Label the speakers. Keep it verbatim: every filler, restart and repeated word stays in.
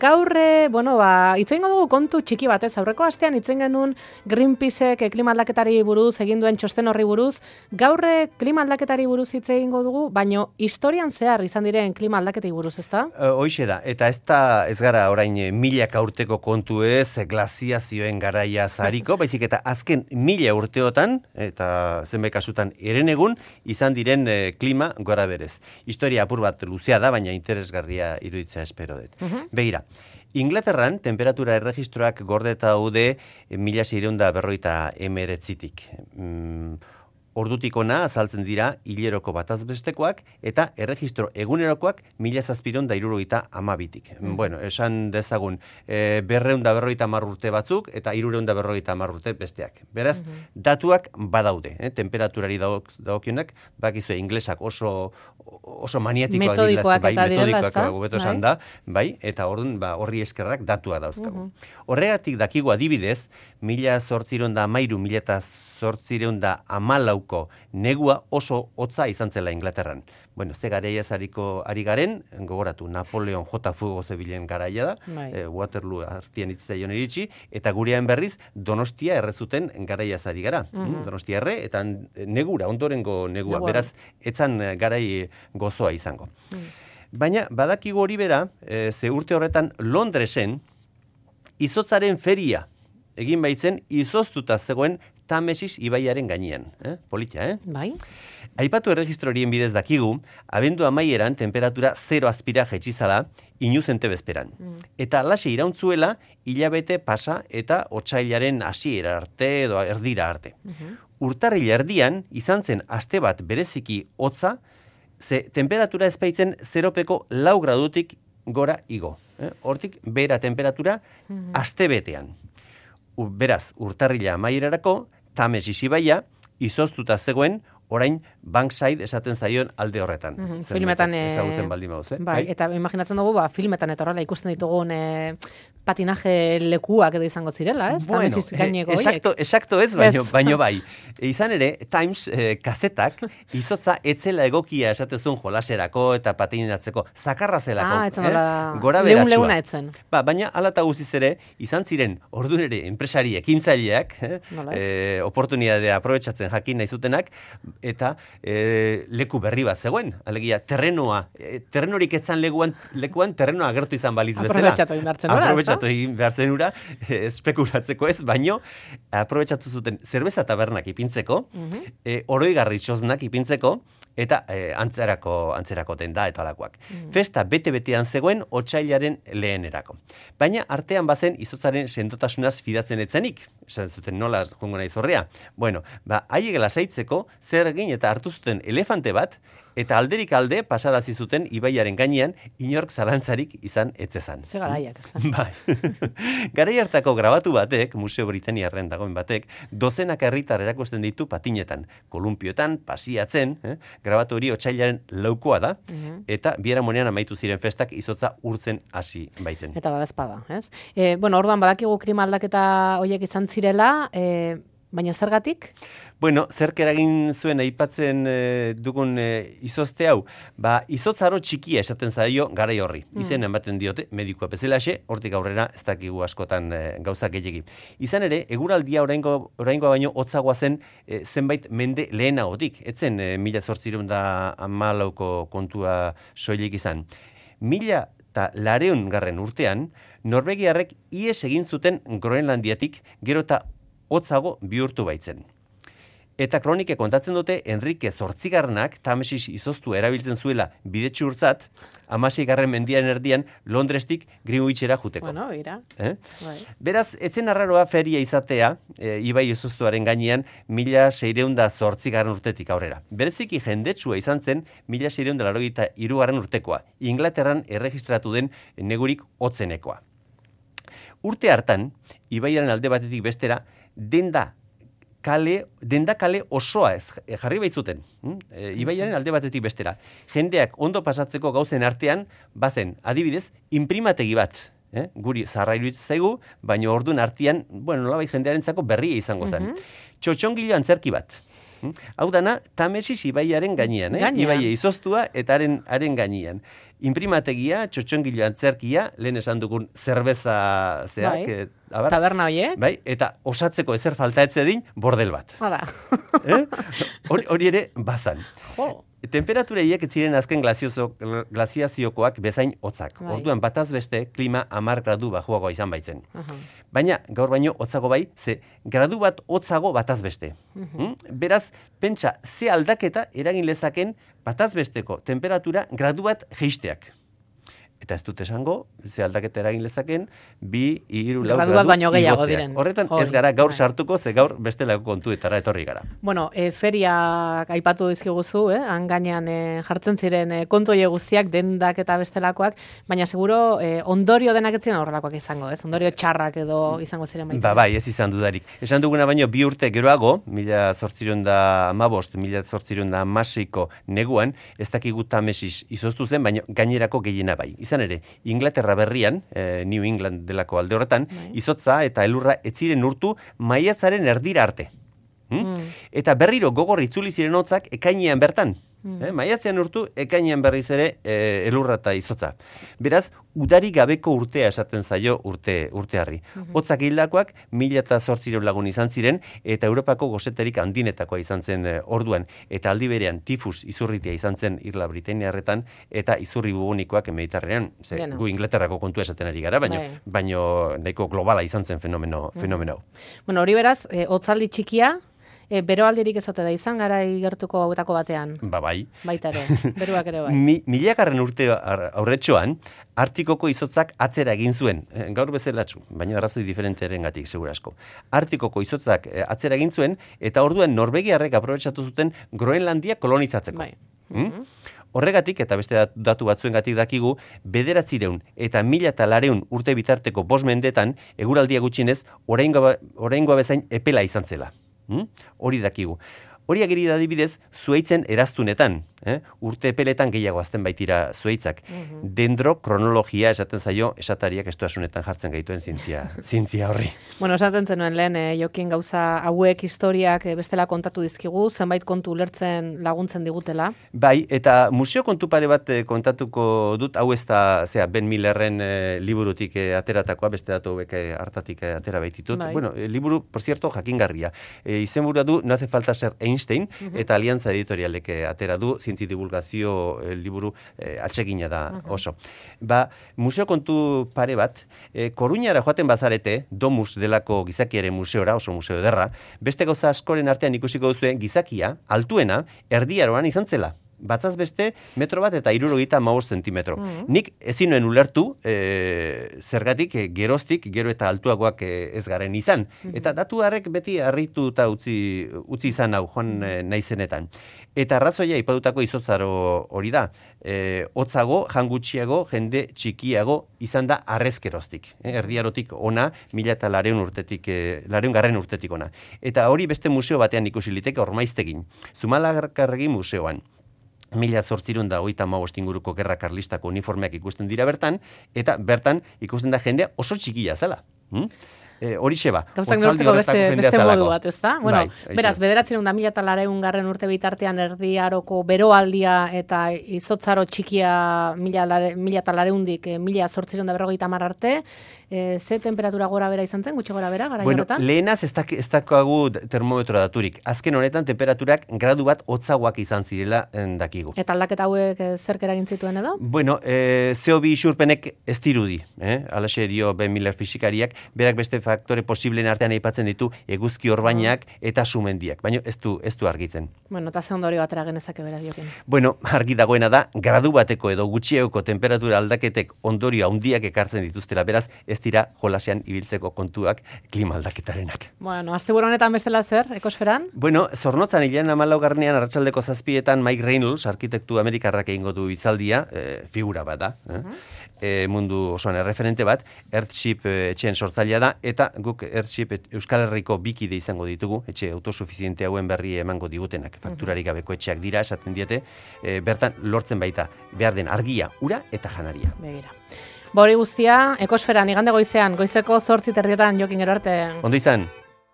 Speaker 1: Gaurre, bueno, ba, itzen dugu kontu txiki batez, aurreko astean itzen genuen Greenpeaceek klima aldaketari buruz, egin duen txosten horri buruz, gaurre klima aldaketari buruz hitz egingo dugu, baino historian zehar izan diren klima aldaketei buruz, ezta?
Speaker 2: Hoixe da, eta ez da, ez gara orain milaka urteko kontu ez, glaziazioen garaia zariko, baizik eta azken mila urteotan, eta zenbait kasutan eren egun, izan diren eh, klima gora berez. Historia apur bat luzea da, baina interesgarria iruditzea espero dut. Uh-huh. Begira, Inglaterran temperatura erregistroak gordeta daude mila seiehun eta berrogeita hemeretzitik. Mm, ordutik ona azaltzen dira hileroko bataz bestekoak eta erregistro egunerokoak mila zazpiehun eta hirurogeita hamabitik. Mm. Bueno, esan dezagun e, berrehun eta berrogeita hamar urte batzuk eta hirurehun eta berrogeita hamar urte besteak. Beraz, mm-hmm. datuak badaude, eh? Temperaturari dagokionak, bakizue inglesak oso oso maniatikoak
Speaker 1: metodikoak
Speaker 2: bai,
Speaker 1: eta
Speaker 2: metodikoak hobeto esan da, bai, eta orduan ba, horri eskerrak datua dauzkagu. Uh-huh. Horregatik dakigu adibidez, mila zortziehun eta hamairu, mila zortziehun eta hamalauko negua oso hotza izan zela Inglaterran. Bueno, ze garaia zariko ari garen, gogoratu, Napoleon J. Fuego zebilen garaia da, eh, Waterloo artian itzaion iritsi, eta gurean berriz Donostia errezuten garaia zari gara. Uh-huh. Donostia erre, eta negura, ondorengo negua, negua. Beraz, etzan garai gozoa izango. Uh-huh. Baina, badakigu hori bera, e, ze urte horretan Londresen, izotzaren feria egin baitzen, izoztuta zegoen Tamesis ibaiaren gainean. Eh? Politia, eh?
Speaker 1: Bai.
Speaker 2: Aipatu erregistro horien bidez dakigu, abendu amaieran temperatura zero azpira jetxizala, inuzente bezperan. Mm. Eta alaxe irauntzuela, hilabete pasa eta otsailaren hasiera arte edo erdira arte. Uh-huh. Urtarrila erdian, izan zen aste bat bereziki hotza, ze temperatura ezpaitzen zeropeko lau gradutik gora igo. Eh? Hortik, bera temperatura uh-huh. aste betean. U, beraz, urtarrila amaierarako, Tamesis ibaia, izoztuta zegoen, orain Bankside esaten zaion alde horretan.
Speaker 1: Mm-hmm. Filmetan
Speaker 2: ezagutzen baldin baduz, eh?
Speaker 1: Bai, eta imaginatzen dugu, ba, filmetan eta horrela ikusten ditugun e, patinaje lekuak edo izango zirela, ez?
Speaker 2: Bueno,
Speaker 1: Tamesis gaineko
Speaker 2: exacto, exacto ez, baino, baino bai. Izan ere, Times eh, kazetak izotza etzela egokia esatezun jolaserako eta patinatzeko zakarra zelako.
Speaker 1: Ah, etzen dola,
Speaker 2: eh? Gora
Speaker 1: leun leuna etzen.
Speaker 2: Ba, baina alata guziz ere, izan ziren ordun ere enpresari ekintzaileak, eh? eh, oportunidadea aprobetxatzen jakin nahi zutenak, eta e, leku berri bat zegoen, alegia terrenoa, e, terrenorik etzan lekuan, lekuan terrenoa agertu izan baliz bezala.
Speaker 1: Aprobetxatu egin behartzen ura,
Speaker 2: Aprobetxatu egin behartzen ura, e, espekulatzeko ez, baino, aprobetxatu zuten zerbeza tabernak ipintzeko, uh-huh. e, oroigarri txosnak ipintzeko, eta e, antzerako, antzerako tenda eta alakoak. Mm. Festa bete-betean zegoen otsailaren lehenerako. Baina artean bazen izotzaren sendotasunaz fidatzen etzenik. Esan zuten nola jongo nahi zorrea. Bueno, ba, haiek lasaitzeko zer egin eta hartu zuten elefante bat, eta alderik alde pasarazi zuten ibaiaren gainean inork zalantzarik izan etzezan.
Speaker 1: Ze garaiak, ez da.
Speaker 2: Bai. Garai hartako grabatu batek, Museo Britaniarren dagoen batek, dozenak herritar erakusten ditu patinetan, kolumpioetan, pasiatzen, eh? Grabatu hori otsailaren laukoa da, uh-huh. eta biharamunean amaitu ziren festak izotza urtzen hasi baitzen.
Speaker 1: Eta badazpada, ez? E, bueno, orduan badakigu klima aldaketa horiek izan zirela, e, baina zergatik?
Speaker 2: Bueno, zerk eragin zuen aipatzen e, dugun e, izozte hau, ba, izotzaro txikia esaten zaio garai horri. Mm. Izen ematen diote, medikoa bezalaxe, hortik aurrera ez dakigu askotan e, gauzak gehiegi. Izan ere, eguraldia oraingo, oraingoa baino hotzagoa zen e, zenbait mende lehenagotik. Etzen e, mila zortziehun eta hamalauko kontua soilik izan. Mila eta lareun garren urtean, Norvegiarrek ihes egin zuten Groenlandiatik gero eta hotzago bihurtu baitzen. Eta kronike kontatzen dute Enrique zortzigarrenak Tamesis izoztu erabiltzen zuela bidetxurtzat, hamaseigarren mendian erdian Londrestik Greenwichera juteko.
Speaker 1: Bueno, ira.
Speaker 2: Eh? Bai. Beraz, etzen arraroa feria izatea, e, ibai izoztuaren gainean, mila seiehun eta zortzigarren urtetik aurrera. Bereziki jendetsua izan zen, mila seiehun eta laurogeita hirugarren urtekoa, Inglaterran erregistratu den negurik hotzenekoa. Urte hartan, ibaiaren alde batetik bestera, denda kale, denda kale osoa ez jarri baitzuten. E, ibaiaren alde batetik bestera. Jendeak ondo pasatzeko gauzen artean, bazen, adibidez, imprimategi bat. Eh? Guri zaharra iruditzen zaigu, baina ordun artean, bueno, nolabait jendearentzako berria izango zen. Uh-huh. Txotxongilo antzerki bat. Hau dana, Tamesis ibaiaren gainean, eh? Ibaia izoztua eta haren, haren gainean. imprimategia, txotxongilo antzerkia, lehen esan dugun zerbeza zeak,
Speaker 1: bai.
Speaker 2: e, abar,
Speaker 1: taberna horiek.
Speaker 2: Bai, eta osatzeko ezer falta etzedin, bordel bat.
Speaker 1: Hala.
Speaker 2: eh? Hori, hori ere bazan.
Speaker 1: Jo.
Speaker 2: Temperatura hiek ez ziren azken glaziozo, glaziaziokoak bezain hotzak.
Speaker 1: Bai.
Speaker 2: Orduan bataz beste klima hamar gradu bajuagoa izan baitzen.
Speaker 1: Aha.
Speaker 2: Baina gaur baino hotzago bai, ze gradu bat hotzago bataz beste.
Speaker 1: Mhm.
Speaker 2: Beraz, pentsa ze aldaketa eragin lezaken bataz besteko temperatura gradu bat jeisteak. Eta ez dut esango, ze aldaketa eragin lezaken, bi, hiru, lau
Speaker 1: Gradu bat
Speaker 2: gradu
Speaker 1: baino gehiago
Speaker 2: igotzea.
Speaker 1: diren.
Speaker 2: Horretan
Speaker 1: Hoi,
Speaker 2: ez gara gaur
Speaker 1: bai.
Speaker 2: sartuko, ze gaur bestelako kontuetara etorri gara.
Speaker 1: Bueno, e, feriak aipatu dizkiguzu, eh? Han gainean e, jartzen ziren e, kontu horiek guztiak, dendak eta bestelakoak, baina seguro e, ondorio denak ez ziren horrelakoak izango, ez? Ondorio txarrak edo izango ziren baita.
Speaker 2: Ba, bai, ez izan dudarik. Esan duguna baino bi urte geroago, mila zortziron da amabost, mila zortziron da amaseiko neguan, ez dakigu Tamesis izoztu zen, baina gainerako gehiena bai. Izan ere, Inglaterra berrian, eh, New England delako alde horretan,
Speaker 1: Bai.
Speaker 2: izotza eta elurra ez ziren urtu maiatzaren erdira arte. Hm?
Speaker 1: Mm.
Speaker 2: Eta berriro gogor itzuli ziren hotzak ekainean bertan.
Speaker 1: Mm.
Speaker 2: Eh, maiatzean urtu, ekainean berriz ere e, elurra eta izotza. Beraz, udari gabeko urtea esaten zaio urte urtearri.
Speaker 1: Mhm.
Speaker 2: Hotzak hildakoak mila eta zortzireun lagun izan ziren, eta Europako goseterik handinetakoa izan zen e, orduan. Eta aldi berean tifus izurritia izan zen Irla Britainiarretan, eta izurri bubonikoak Mediterranean. Ze,
Speaker 1: Bueno.
Speaker 2: gu Inglaterrako kontua esaten ari gara, baino,
Speaker 1: Bai.
Speaker 2: baino nahiko globala izan zen fenomeno, fenomeno hau.
Speaker 1: Bueno, hori beraz, e, hotzaldi txikia, e, beroaldirik ez ote da izan, gara igertuko hauetako batean.
Speaker 2: Ba bai.
Speaker 1: Baita ere, beruak ere bai.
Speaker 2: Mi, milagarren urte ar- aurretxoan, Artikoko izotzak atzera egin zuen, eh, gaur bezelatzu, baina arrazoi diferenterengatik segurasko. Artikoko izotzak eh, atzera egin zuen, eta orduan Norvegiarrek aprobetxatu zuten Groenlandia kolonizatzeko.
Speaker 1: Bai.
Speaker 2: Hmm? Horregatik, eta beste dat- datu batzuengatik dakigu, bederatzireun eta mila eta lareun urte bitarteko bost mendetan, eguraldia gutxinez, oraingoa oraingoa bezain epela izan zela. Hmm? Hori dakigu. Hori ageri da adibidez, zuhaitzen eraztunetan, eh? urte epeletan gehiago azten baitira zuhaitzak.
Speaker 1: Mhm.
Speaker 2: Dendrokronologia esaten zaio, esatariak estuasunetan jartzen gaituen zientzia, zientzia horri.
Speaker 1: Bueno, esaten zenuen lehen, e, Jokin gauza hauek historiak e, bestela kontatu dizkigu, zenbait kontu ulertzen laguntzen digutela.
Speaker 2: Bai, eta museo kontu pare bat eh, kontatuko dut, hau ez da, zera, Ben Millerren eh, liburutik eh, ateratakoa, beste datu hauek eh, hartatik eh, atera baititut.
Speaker 1: Bai.
Speaker 2: Bueno, eh, liburu, por cierto, jakingarria. E, izenburua du, no hace falta ser Einstein, eta Alianza Editorialek eh, atera du, zientzi divulgazio eh, liburu eh, atsegina da oso. Ba, museo kontu pare bat, eh, Koruñara joaten bazarete, Domus delako gizakiaren museora, oso museo ederra, beste gauza askoren artean ikusiko duzuen gizakia, altuena, erdiaroan izan zela. Batzaz beste, metro bat eta hirurogeita hamabost zentimetro.
Speaker 1: Mhm.
Speaker 2: Nik ezin nuen ulertu, e, zergatik, e, geroztik, gero eta altuagoak e, ez garen izan. Eta datu harrek beti harritu eta utzi, utzi izan hau, joan e, naizenetan. Eta arrazoia ipatutako izotzaro hori da. E, hotzago, jangutxiago, jende txikiago izan da arrezkeroztik. E, erdiarotik ona, mila eta lareun urtetik, e, lareun garren urtetik ona. Eta hori beste museo batean ikusi liteke Ormaiztegin. Zumalakarregi museoan. Mila zortzirun da hogeita hamabost inguruko gerra karlistako uniformeak ikusten dira bertan, eta bertan ikusten da jendea oso txikia zela. Hmm? E, horixe ba.
Speaker 1: Gauzak
Speaker 2: Otzaldi
Speaker 1: neurtzeko beste,
Speaker 2: horretako jendea
Speaker 1: beste
Speaker 2: zelako.
Speaker 1: modu bat, ez da? Bueno,
Speaker 2: Bai, aixe.
Speaker 1: beraz, bederatzen da mila eta lareun garren urte bitartean erdiaroko beroaldia eta izotzaro txikia mila, lare, mila eta lareundik eh, mila zortziron da berrogeita hamar arte, eh, ze temperatura gora bera izan zen, gutxi gora bera, gara
Speaker 2: Bueno,
Speaker 1: horretan?
Speaker 2: lehenaz ez dak- ez dakagu termometro daturik. Azken honetan temperaturak gradu bat hotzagoak izan zirela en, dakigu.
Speaker 1: Eta aldaketa hauek eh, zerk eragin zituen edo?
Speaker 2: Bueno, eh, C O bi isurpenek ez dirudi, eh? Alaxe dio Ben Miller fisikariak, berak beste faktore posibleen artean aipatzen ditu eguzki orbainak eta sumendiak, baina ez du, ez du argitzen.
Speaker 1: Bueno, eta ze ondorio batera genezake beraz, Jokin.
Speaker 2: Bueno, argi dagoena da, gradu bateko edo gutxiagoko temperatura aldaketek ondorio handiak ekartzen dituztela, beraz, ez dira jolasean ibiltzeko kontuak klima aldaketarenak.
Speaker 1: Bueno, asteburu honetan bestela zer, ekosferan?
Speaker 2: Bueno, Zornotzan hilean hamalaugarnean arratsaldeko zazpietan Mike Reynolds, arkitektu amerikarrak egingo du hitzaldia, e, figura bat da, eh? e, mundu osoan erreferente bat, Earthship e, etxeen sortzailea da, eta guk Earthship et, Euskal Herriko bikide izango ditugu, etxe autosufiziente hauen berri emango digutenak, fakturarik gabeko etxeak dira, esaten diete, e, bertan lortzen baita, behar den argia, ura eta janaria.
Speaker 1: Begira. Ba hori guztia, ekosferan, igande goizean, goizeko zortzi terdietan, Jokin, gero arte.
Speaker 2: Ondo izan?